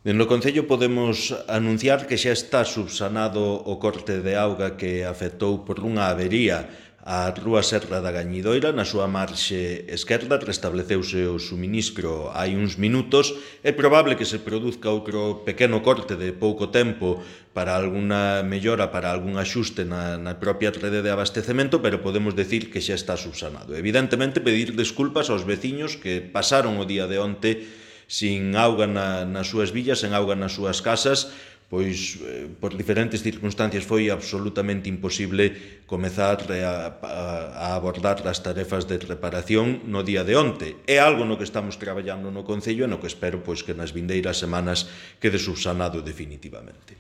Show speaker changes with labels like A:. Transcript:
A: No Concello podemos anunciar que xa está subsanado o corte de auga que afectou por unha avería a Rúa Serra da Gañidoira. Na súa marxe esquerda restableceuse o suministro hai uns minutos. É probable que se produzca outro pequeno corte de pouco tempo para alguna mellora, para algún axuste na propia rede de abastecemento, pero podemos decir que xa está subsanado. Evidentemente, pedir desculpas aos veciños que pasaron o día de onte sin auga nas súas villas, sen auga nas súas casas, pois por diferentes circunstancias foi absolutamente imposible comezar a abordar as tarefas de reparación no día de onte. É algo no que estamos traballando no Concello e no que espero pois que nas vindeiras semanas quede subsanado definitivamente.